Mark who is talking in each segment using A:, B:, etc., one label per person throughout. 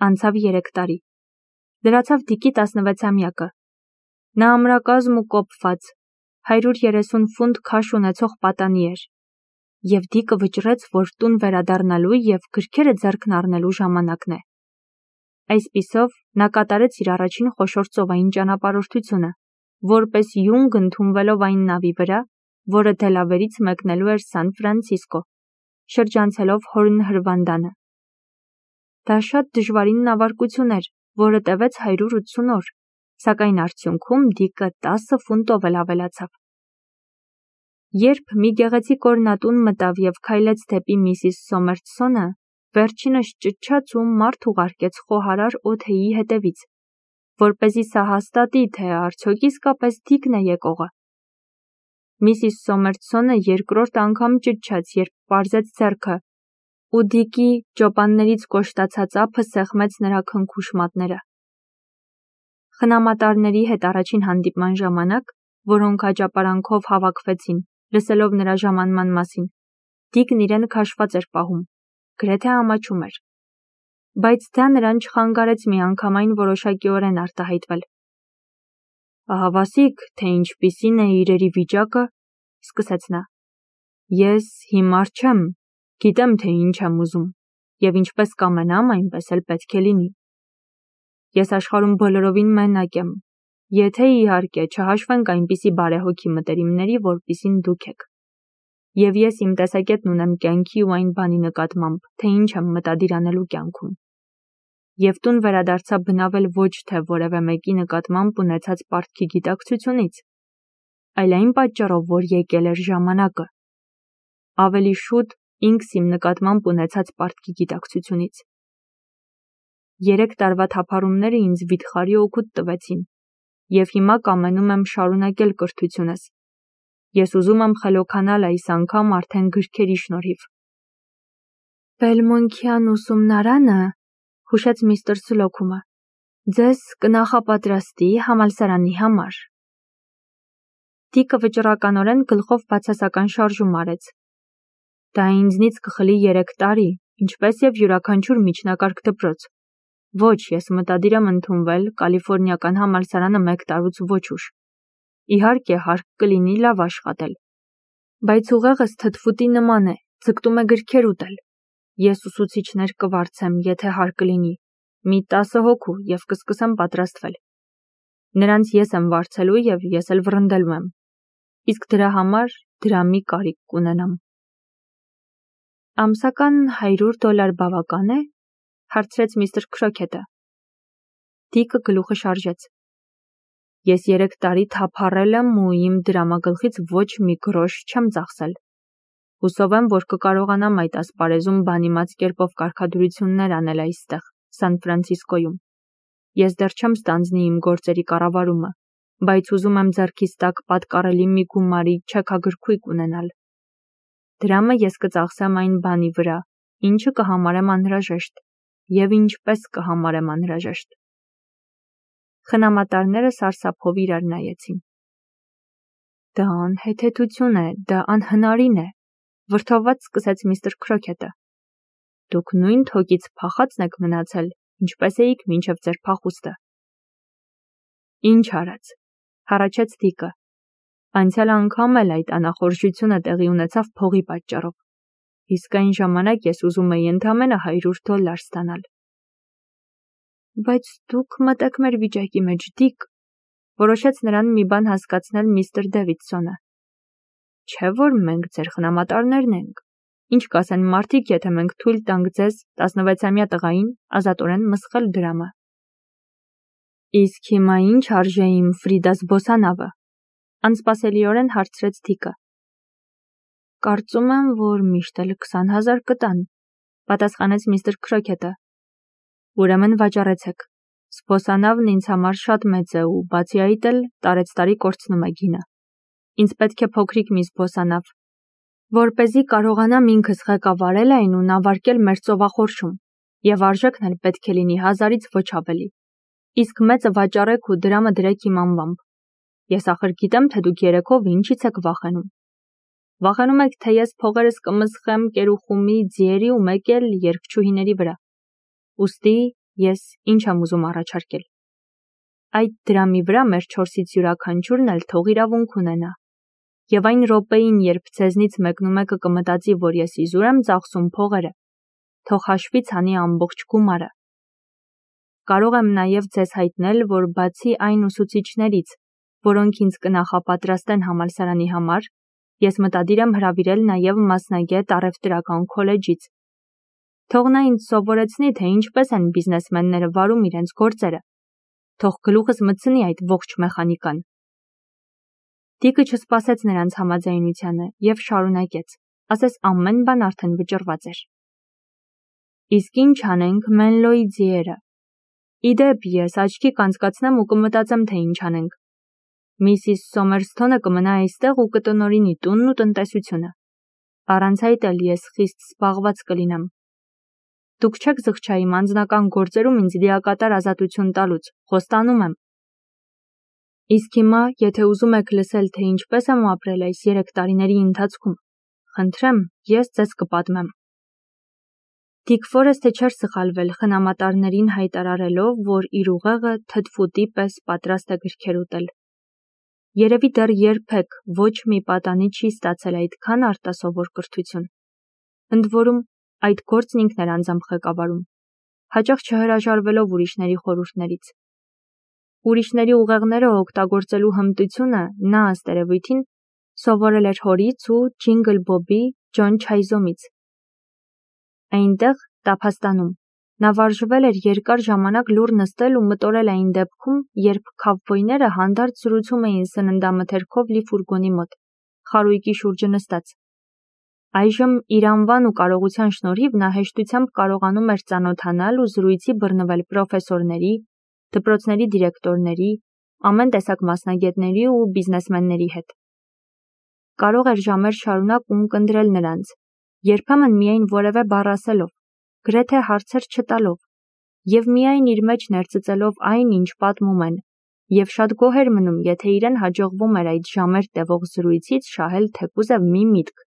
A: Անցավ 3 տարի։ Լրացավ Դիկի 16-ամյակը։ Նա ամրակազմ ու կոփված, 130 ֆունտ քաշ ունեցող պատանի էր, և Դիկը վճռեց, որ տուն վերադառնալու և գրքերը ձեռքն առնելու ժամանակն է։ Այսպիսով, նա կատարեց իր առաջին խոշոր ծովային ճանապարհորդությունը, որպես յունգ ընդունվելով այն նավի վրա, որը Դելավերից մեկնելու էր Սան Ֆրանցիսկո, շրջանցելով Հորն հրվանդանը։ Դա շատ դժվարին նավարկություն էր, որը տևեց 180 օր, սակայն արդյունքում Դիկը 10 ֆունտով էլ ավելացավ։ Երբ մի գեղեցիկ օրնատուն մտավ և քայլեց դեպի Միսիս Սոմերթսոնը, վերջինս ճչաց ու մարդ ուղարկեց խոհարար օդեի հետևից, որպեսզի սա հաստատի, թե արդյոք իսկապես Դիկն է եկողը։ Միսիս Սոմերթսոնը երկրորդ անգամ ճչաց, երբ պարզեց ձեռքը, ու Դիկի ճոպաններից կոշտացած ափը սեղմեց նրա քնքուշ մատները։ Խնամատարների հետ առաջին հանդիպման ժամանակ, որոնք աճապարանքով հավաքվեցին, լսելով նրա ժամանման մասին, Դիկն իրեն քաշված էր պահում, գրեթե ամաչում էր։ Բայց դա նրան չխանգարեց միանգամայն որոշակիորեն արտահայտվել։ «Ահավասիկ, թե ինչպիսին է իրերի վիճակը», սկսեց նա։ «Ես հիմար չեմ, գիտեմ, թե ինչ եմ ուզում, և ինչպես կամենամ, այնպես էլ պետք է լինի։ Ես աշխարհում բոլորովին մենակ եմ, եթե իհարկե չհաշվենք այնպիսի բարեհոգի մտերիմների, որպիսին դուք եք։ Եվ ես իմ տեսակետն ունեմ կյանքի ու այն բանի նկատմամբ, թե ինչ եմ մտադիր անելու կյանքում։ Եվ տուն վերադարձա բնավել ոչ թե որևէ մեկի նկատմամբ ունեցած պարտքի գիտակցությունից, այլ այն պատճառով, որ եկել էր ժամանակը։ Ավելի շուտ ինքս իմ նկատմամբ ունեցած պարտքի գիտակցությունից։ 3 տարվա թափառումները ինձ վիթխարի օգուտ տվեցին, և հիմա կամենում եմ շարունակել կրթությունս։ Ես ուզում եմ խելոքանալ այս անգամ արդեն գրքերի շնորհիվ»։ «Բելմոնքյան ուսումնարանը», հուշեց միստր Սլոքումը, «ձեզ կնախապատրաստի համալսարանի համար»։ Դիկը վճռականորեն գլխով բացասական շարժում արեց։ «Դա ինձնից կխլի 3 տարի, ինչպես և յուրաքանչյուր միջնակարգ դպրոց։ Ոչ, ես մտադիր եմ ընդունվել Կալիֆոռնիական համալսարանը 1 տարուց ոչ ուշ։ Իհարկե, հարկ կլինի լավ աշխատել։ Բայց ուղեղս թթվուտի նման է, ձգտում է գրքեր ուտել։ Ես ուսուցիչներ կվարձեմ, եթե հարկ լինի, մի 10 հոգու, և կսկսեմ պատրաստվել։ Նրանց ես եմ վարձելու և ես էլ վռնդելու եմ։ Իսկ դրա համար դրամի կարիք կունենամ»։ «Ամսական $100 բավական է», հարցրեց միստր Քրոքեթը։ Դիկը գլուխը շարժեց։ «Ես 3 տարի թափառել եմ ու իմ դրամագլխից ոչ մի գրոշ չեմ ծախսել։ Հուսով եմ, որ կկարողանամ այդ ասպարեզում բանիմաց կերպով կարգադրություններ անել այստեղ, Սան Ֆրանցիսկոյում։ Ես դեռ չեմ ստանձնի իմ գործերի կառավարումը, բայց ուզում եմ ձեռքիս տակ պատկառելի մի գումարի չեքագրքույկ ունենալ։ Դրամը ես կծախսեմ այն բանի վրա, ինչը կհամարեմ անհրաժեշտ, և ինչպես կհամարեմ անհրաժեշտ»։ Խնամատարները սարսափով իրար նայեցին։ «Դա անհեթեթություն է, դա անհնարին է», վրդովված սկսեց միստր Քրոքեթը։ «Դուք նույն թոկից փախածն եք մնացել, ինչպես էիք մինչև ձեր փախուստը»։ «Ինչ արած», հառաչեց Դիկը։ «Անցյալ անգամ էլ այդ անախորժությունը տեղի ունեցավ փողի պատճառով, իսկ այն ժամանակ ես ուզում էի ընդամենը $100 ստանալ»։ «Բայց դուք մտեք մեր վիճակի մեջ, Դիկ», որոշեց նրան մի բան հասկացնել միստր Դեվիդսոնը։ «Չէ՞ որ մենք ձեր խնամատարներն ենք։ Ինչ կասեն մարդիկ, եթե մենք թույլ տանք ձեզ 16-ամյա տղային ազատորեն մսխել դրամը»։ «Իսկ հիմա ինչ արժե իմ Ֆրիդա զբոսանավը», անսպասելիորեն հարցրեց Դիկը։ «Կարծում եմ, որ միշտ էլ 20,000 կտան», պատասխանեց միստր Քրոքեթը։ «Ուրեմն վաճառեցեք։ Զբոսանավն ինձ համար շատ մեծ է ու բացի այդ էլ տարեցտարի կորցնում է գինը։ Ինձ պետք է փոքրիկ մի զբոսանավ, որպեսզի կարողանամ ինքս ղեկավարել այն ու նավարկել մեր ծովախորշում, և արժեքն էլ պետք է լինի 1000-ից ոչ ավելի։ Իսկ մեծը վաճառեք ու դրամը դրեք իմ անվամբ։ Ես ախր գիտեմ, թե դուք երեքով ինչից եք վախենում։ Վախենում եք, թե ես փողերս կմսխեմ Կերուխումի, Ձիերի ու մեկ էլ երգչուհիների վրա։ Ուստի ես ինչ եմ ուզում առաջարկել։ Այդ դրամի վրա մեր 4-ից յուրաքանչյուրն էլ թող իրավունք ունենա։ Եվ այն րոպեին, երբ ձեզնից մեկնումեկը կմտածի, որ ես իզուր եմ ծախսում փողերը, թող հաշվից անի ամբողջ գումարը։ Կարող եմ նաև ձեզ հայտնել, որ բացի այն ուսուցիչներից, որոնք ինձ կնախապատրաստեն համալսարանի համար, ես մտադիր եմ հրավիրել նաև մասնագետ առևտրական քոլեջից։ Թող նա ինձ սովորեցնի, թե ինչպես են բիզնեսմենները վարում իրենց գործերը։ Թող գլուխս մտցնի այդ ողջ մեխանիկան։ Տիկը չսպասեց նրանց համաձայնությանը և շարունակեց, ասես ամեն բան արդեն վճռված էր։ Իսկ ինչ անենք Մենլոյի ձիերը։ Իդեպ ես աչքի կանցկացնեմ ու կմտածեմ, թե ինչ անենք։ Միսիս Սոմերսթոնը կմնա այստեղ ու կտնօրինի տունն ու տնտեսությունը։ Առանց այդ էլ ես խիստ զբաղված կլինեմ։ Դուք չեք զղջա իմ անձնական գործերում ինձ լիակատար ազատություն տալուց, խոստանում եմ։ Իսկ հիմա, եթե ուզում եք լսել, թե ինչպես եմ ապրել այս 3 տարիների ընթացքում, խնդրեմ, ես ձեզ կպատմեմ։ Դիկ Ֆորեսթը չէր սխալվել խնամատարներին հայտարարելով, որ իր ուղեղը թթվուտի պես պատրաստ է գրքեր ուտել։ Երևի դեռ երբեք ոչ մի պատանի չի ստացել այդքան արտասովոր կրթություն։ Ընդ որում, այդ գործն ինքն էր անձամբ ղեկավարում, հաճախ չհրաժարվելով ուրիշների խորհուրդներից։ Ուրիշների ուղեղները օգտագործելու հմտությունը նա ըստ երևույթին սովորել էր հորից ու Ջինգլ Բոբի Ջոն Չայզոմից։ Այնտեղ, Տափաստանում, նա վարժվել էր երկար ժամանակ լուռ նստել ու մտորել այն դեպքում, երբ քավբոյները հանդարտ զրուցում էին սննդամթերքով լի ֆուրգոնի մոտ, խարույկի շուրջը նստած։ Այժմ իր անվան ու կարողության շնորհիվ նա հեշտությամբ կարողանում էր ծանոթանալ ու զրույցի բռնվել պրոֆեսորների, դպրոցների դիրեկտորների, ամեն տեսակ մասնագետների ու բիզնեսմենների հետ։ Կարող էր ժամեր շարունակ ունկնդրել նրանց, երբեմն միայն որևէ բառ ասելով, գրեթե հարցեր չտալով, և միայն իր մեջ ներծծելով այն, ինչ պատմում են, և շատ գոհ էր մնում, եթե իրեն հաջողվում էր այդ ժամեր տևող զրույցից շահել թեկուզև մի միտք,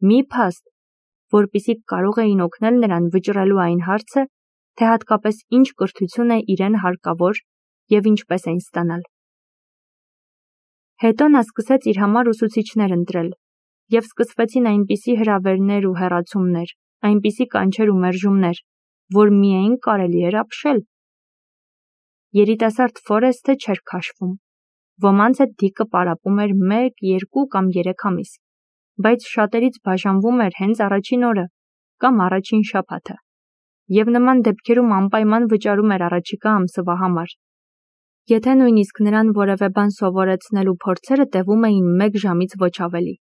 A: մի փաստ, որպեսզի կարող էին օգնել նրան վճռելու այն հարցը, թե հատկապես ինչ կրթություն է իրեն հարկավոր և ինչպես այն ստանալ։ Հետո նա սկսեց իր համար ուսուցիչներ ընտրել, և սկսվեցին այնպիսի հրավերներ ու հեռացումներ, այնպիսի կանչեր ու մերժումներ, որ միայն կարելի էր ապշել։ Երիտասարդ Ֆորեսթը չէր քաշվում։ Ոմանց հետ Դիկը պարապում էր 1, 2 կամ 3 ամիս, բայց շատերից բաժանվում էր հենց առաջին օրը կամ առաջին շաբաթը, և նման դեպքերում անպայման վճարում էր առաջիկա ամսվա համար։ Եթե նույնիսկ նրան որևէ բան սովորեցնելու փորձերը տևում էին 1 ժամից ոչ ավելի։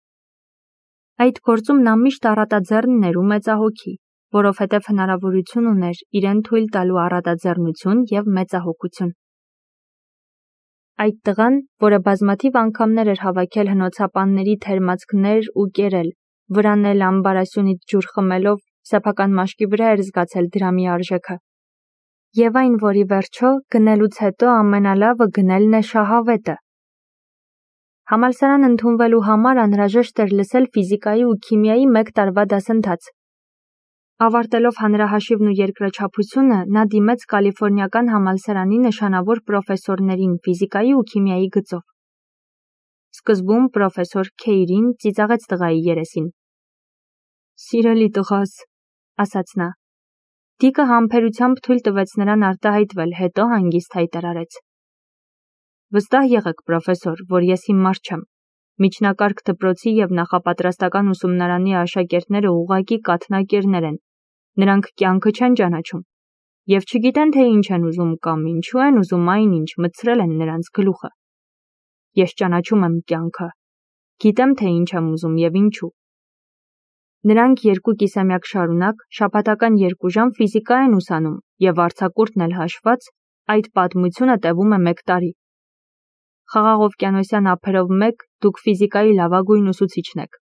A: Այդ գործում նա միշտ առատաձեռնն էր ու մեծահոգի, որովհետև հնարավորություն ուներ իրեն թույլ տալու առատաձեռնություն և մեծահոգություն։ Այդ տղան, որը բազմաթիվ անգամներ էր հավաքել հնոցապանների թերմացքներ ու կերել, վրանել ամբարասյունից ջուր խմելով, սեփական մաշկի վրա էր զգացել դրամի արժեքը։ Եվ այն, որ ի վերջո գնելուց հետո ամենալավը գնելն է շահավետը։ Համալսարան ընդունվելու համար անհրաժեշտ էր լսել ֆիզիկայի ու քիմիայի 1 տարվա դասընթաց։ Ավարտելով հանրահաշիվն ու երկրաչափությունը, նա դիմեց Կալիֆոռնիական համալսարանի նշանավոր պրոֆեսորներին ֆիզիկայի ու քիմիայի գծով։ Սկզբում պրոֆեսոր Քեյրին ծիծաղեց տղայի երեսին։ «Սիրելի տղաս», ասաց նա։ Դիկը համբերությամբ թույլ տվեց նրան արտահայտվել, հետո հանգիստ հայտարարեց. «Վստահ եղեք, պրոֆեսոր, որ ես հիմար չեմ։ Միջնակարգ դպրոցի և նախապատրաստական ուսումնարանի աշակերտները ուղղակի կաթնակերներ են, նրանք կյանքը չեն ճանաչում, և չգիտեն, թե ինչ են ուզում կամ ինչու են ուզում այն, ինչ մտցրել են նրանց գլուխը։ Ես ճանաչում եմ կյանքը, գիտեմ, թե ինչ եմ ուզում և ինչու»։ Նրանք 2 կիսամյակ շարունակ շաբաթական 2 ժամ ֆիզիկա են ուսանում և արձակուրդն էլ հաշված, այդ պատմությունը տևում է 1 տարի։ Խաղաղօվկիանոսյան ափերով մեկ դուք ֆիզիկայի լավագույն ուսուցիչն եք։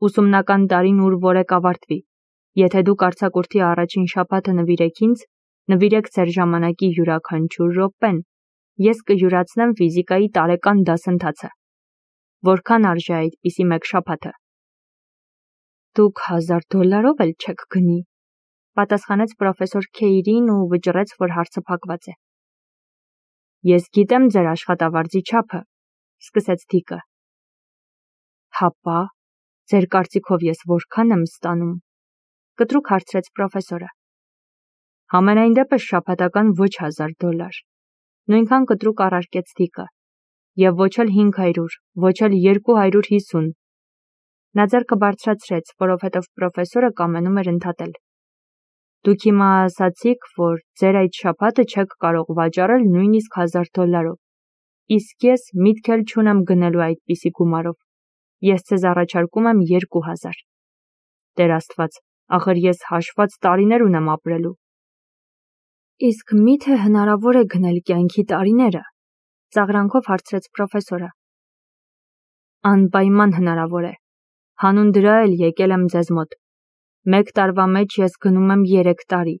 A: Ուսումնական տարին ուր որեք ավարտվի։ Եթե դուք արձակուրդի առաջին շաբաթը նվիրեք ինձ, նվիրեք ձեր ժամանակի յուրաքանչյուր րոպեն, ես կյուրացնեմ ֆիզիկայի տարեկան դասընթացը։ Որքան արժե այդպիսի 1 շաբաթը։ Դուք $1000 էլ չեք գնի։ Պատասխանեց պրոֆեսոր Քեյրին ու վճռեց, որ հարցը փակված է։ Ես գիտեմ ձեր աշխատավարձի չափը, սկսեց Դիկը։ Հապա, ձեր կարծիքով ես որքան եմ ստանում, կտրուկ հարցրեց պրոֆեսորը։ Համենայն դեպս շաբաթական ոչ $1000, նույնքան կտրուկ առարկեց Դիկը, և ոչ էլ 500, ոչ էլ 250։ Նա ձեռքը բարձրացրեց, որովհետև պրոֆեսորը կամենում էր ընդհատել։ Դուք հիմա ասացիք, որ ձեր այդ շաբաթը չեք կարող վաճառել նույնիսկ $1000, իսկ ես միտք էլ չունեմ գնելու այդպիսի գումարով։ Ես ձեզ առաջարկում եմ 2000։ Տեր Աստված, ախր ես հաշված տարիներ ունեմ ապրելու։ Իսկ միթե հնարավոր է գնել կյանքի տարիները, ծաղրանքով հարցրեց պրոֆեսորը։ Անպայման հնարավոր է։ Հանուն դրա էլ եկել եմ ձեզ մոտ։ 1 տարվա մեջ ես գնում եմ 3 տարի,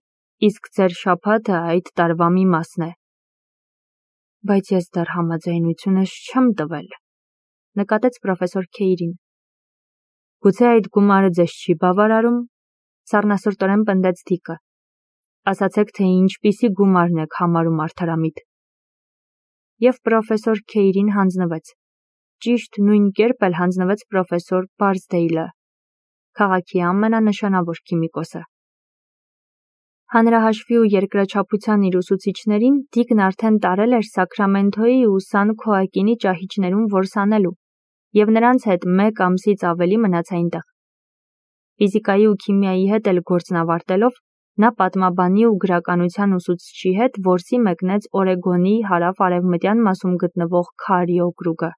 A: իսկ ձեր շաբաթը այդ տարվա մի մասն է։ Բայց ես դեռ համաձայնությունս չեմ տվել, նկատեց պրոֆեսոր Քեյրին։ Գուցե այդ գումարը ձեզ չի բավարարում, սառնասրտորեն պնդեց Դիկը։ Ասացեք, թե ինչպիսի գումարն եք համարում արդարամիտ։ Եվ պրոֆեսոր Քեյրին հանձնվեց։ Ճիշտ նույն կերպ էլ հանձնվեց պրոֆեսոր Բարսդեյլը, քաղաքի ամենանշանավոր քիմիկոսը։ Հանրահաշվի ու երկրաչափության իր ուսուցիչներին Դիկն արդեն տարել էր Սաքրամենթոյի ու Սան Քոակինի ճահիճներում որսանելու, և նրանց հետ 1 ամսից ավելի մնաց այնտեղ։ Ֆիզիկայի ու քիմիայի հետ էլ գործն ավարտելով, նա պատմաբանի ու գրականության ուսուցչի հետ որսի մեկնեց Օրեգոնի հարավ-արևմտյան մասում գտնվող Քարի օկրուգը։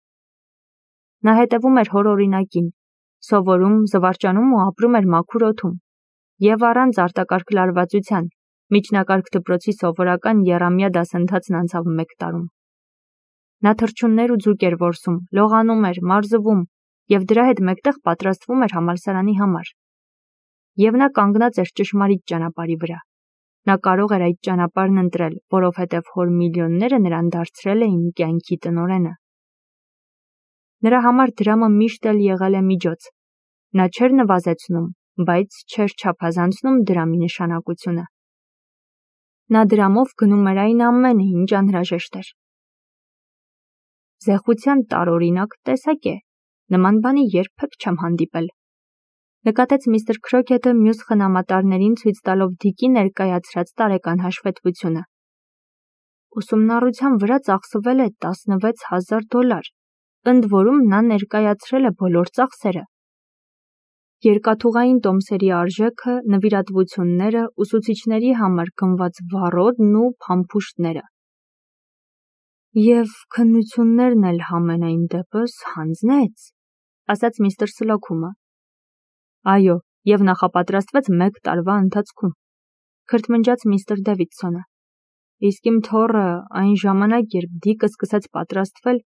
A: Նա հետևում էր հոր օրինակին, սովորում, զվարճանում ու ապրում էր մաքուր օդում, և առանց արտակարգ լարվածության, միջնակարգ դպրոցի սովորական եռամյա դասընթացն անցավ 1 տարում։ Նա թռչուններ ու ձուկ էր որսում, լողանում էր, մարզվում և դրա հետ մեկտեղ պատրաստվում էր համալսարանի համար։ Եվ նա կանգնած էր ճշմարիտ ճանապարհի վրա։ Նա կարող էր այդ ճանապարհն ընտրել, որովհետև հոր միլիոնները նրան դարձրել էին կյանքի տնօրենը։ Նրա համար դրամը միշտ էլ եղել է միջոց։ Նա չէր նվազեցնում, բայց չէր չափազանցնում դրամի նշանակությունը։ Նա դրամով գնում էր այն ամենը, ինչ անհրաժեշտ էր։ Զեղության տարօրինակ տեսակ է, նման բանի երբեք չեմ հանդիպել, նկատեց միստր Քրոքեթը մյուս խնամատարներին ցույց տալով Դիկի ներկայացրած տարեկան հաշվետվությունը։ Ուսումնառության վրա ծախսվել է $16000, ընդ որում նա ներկայացրել է բոլոր ծախսերը։ Երկաթուղային տոմսերի արժեքը, նվիրատվությունները, ուսուցիչների համար գնված վառոդն ու փամփուշտները։ Եվ քննություններն էլ համենայն դեպս հանձնեց, ասաց միստր Սլոքումը։ Այո, և նախապատրաստվեց 1 տարվա ընթացքում, քրթմնջաց միստր Դեվիդսոնը։ Իսկ իմ թոռը այն ժամանակ, երբ Դիկը սկսեց պատրաստվել,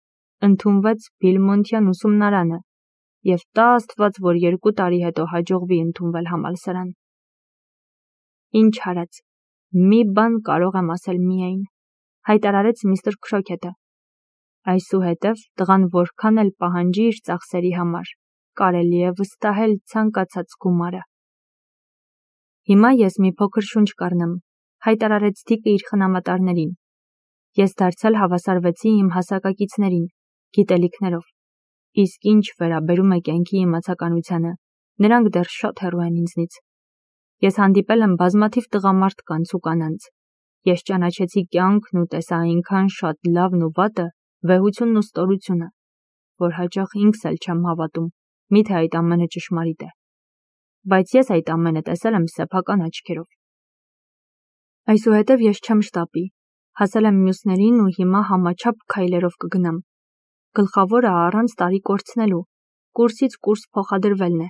A: ընդունվեց Բիլմոնթյան ուսումնարանը, և տա Աստված, որ 2 տարի հետո հաջողվի ընդունվել համալսարան։ Ինչ արած, մի բան կարող եմ ասել միայն, հայտարարեց միստր Քրոքեթը։ Այսուհետև տղան որքան էլ պահանջի իր ծախսերի համար, կարելի է վստահել ցանկացած գումարը։ Հիմա ես մի փոքր շունչ կառնեմ, հայտարարեց Դիկը իր խնամատարներին։ Ես դարձյալ հավասարվեցի իմ հասակակիցներին, գիտելիքներով, իսկ ինչ վերաբերում է կյանքի իմացականությանը, նրանք դեռ շատ հեռու են ինձնից։ Ես հանդիպել եմ բազմաթիվ տղամարդկանց ու կանանց։ Ես ճանաչեցի կյանքն ու տեսա այնքան շատ լավն ու վատը, վեհությունն ու ստորությունը, որ հաճախ ինքս էլ չեմ հավատում, միթե այդ ամենը ճշմարիտ է։ Բայց ես այդ ամենը տեսել եմ սեփական աչքերով։ Այսուհետև ես չեմ շտապի, հասել եմ մյուսներին ու հիմա համաչափ քայլերով կգնամ։ Գլխավորը առանց տարի կորցնելու, կուրսից կուրս փոխադրվելն է։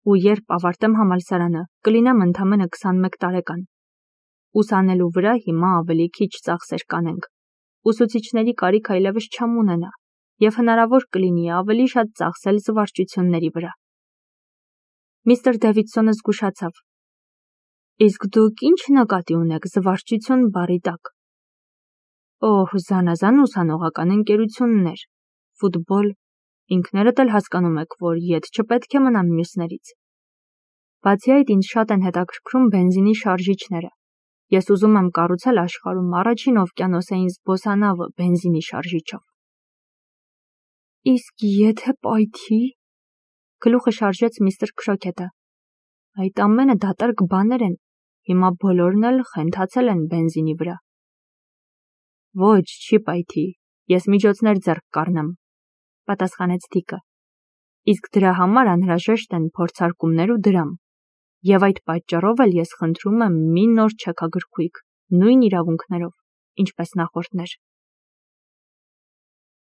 A: Ու երբ ավարտեմ համալսարանը, կլինեմ ընդամենը 21 տարեկան։ Ուսանելու վրա հիմա ավելի քիչ ծախսեր կանենք։ Ուսուցիչների կարիք այլևս չեմ ունենա, և հնարավոր կլինի ավելի շատ ծախսել զվարճությունների վրա։ Միստր Դեվիդսոնը զգուշացավ։ Իսկ դուք ինչ նկատի ունեք զվարճություն բառի տակ։ Օհ, զանազան ուսանողական ընկերություններ, ֆուտբոլ, ինքներդ էլ հասկանում եք, որ ետ չպետք է մնամ մյուսներից։ Բացի այդ ինձ շատ են հետաքրքրում բենզինի շարժիչները։ Ես ուզում եմ կառուցել աշխարհում առաջին օվկիանոսային զբոսանավը բենզինի շարժիչով։ Իսկ եթե պայթի, գլուխը շարժեց միստր Քրոքեթը։ Այդ ամենը դատարկ բաներ են, հիմա բոլորն էլ խենթացել են բենզինի վրա։ Ոչ, չի պայթի, ես միջոցներ ձեռք կառնեմ, պատասխանեց Դիկը։ Իսկ դրա համար անհրաժեշտ են փորձարկումներ ու դրամ։ Եվ այդ պատճառով էլ ես խնդրում եմ մի նոր չեքագրքույկ, նույն իրավունքներով, ինչպես նախորդներ։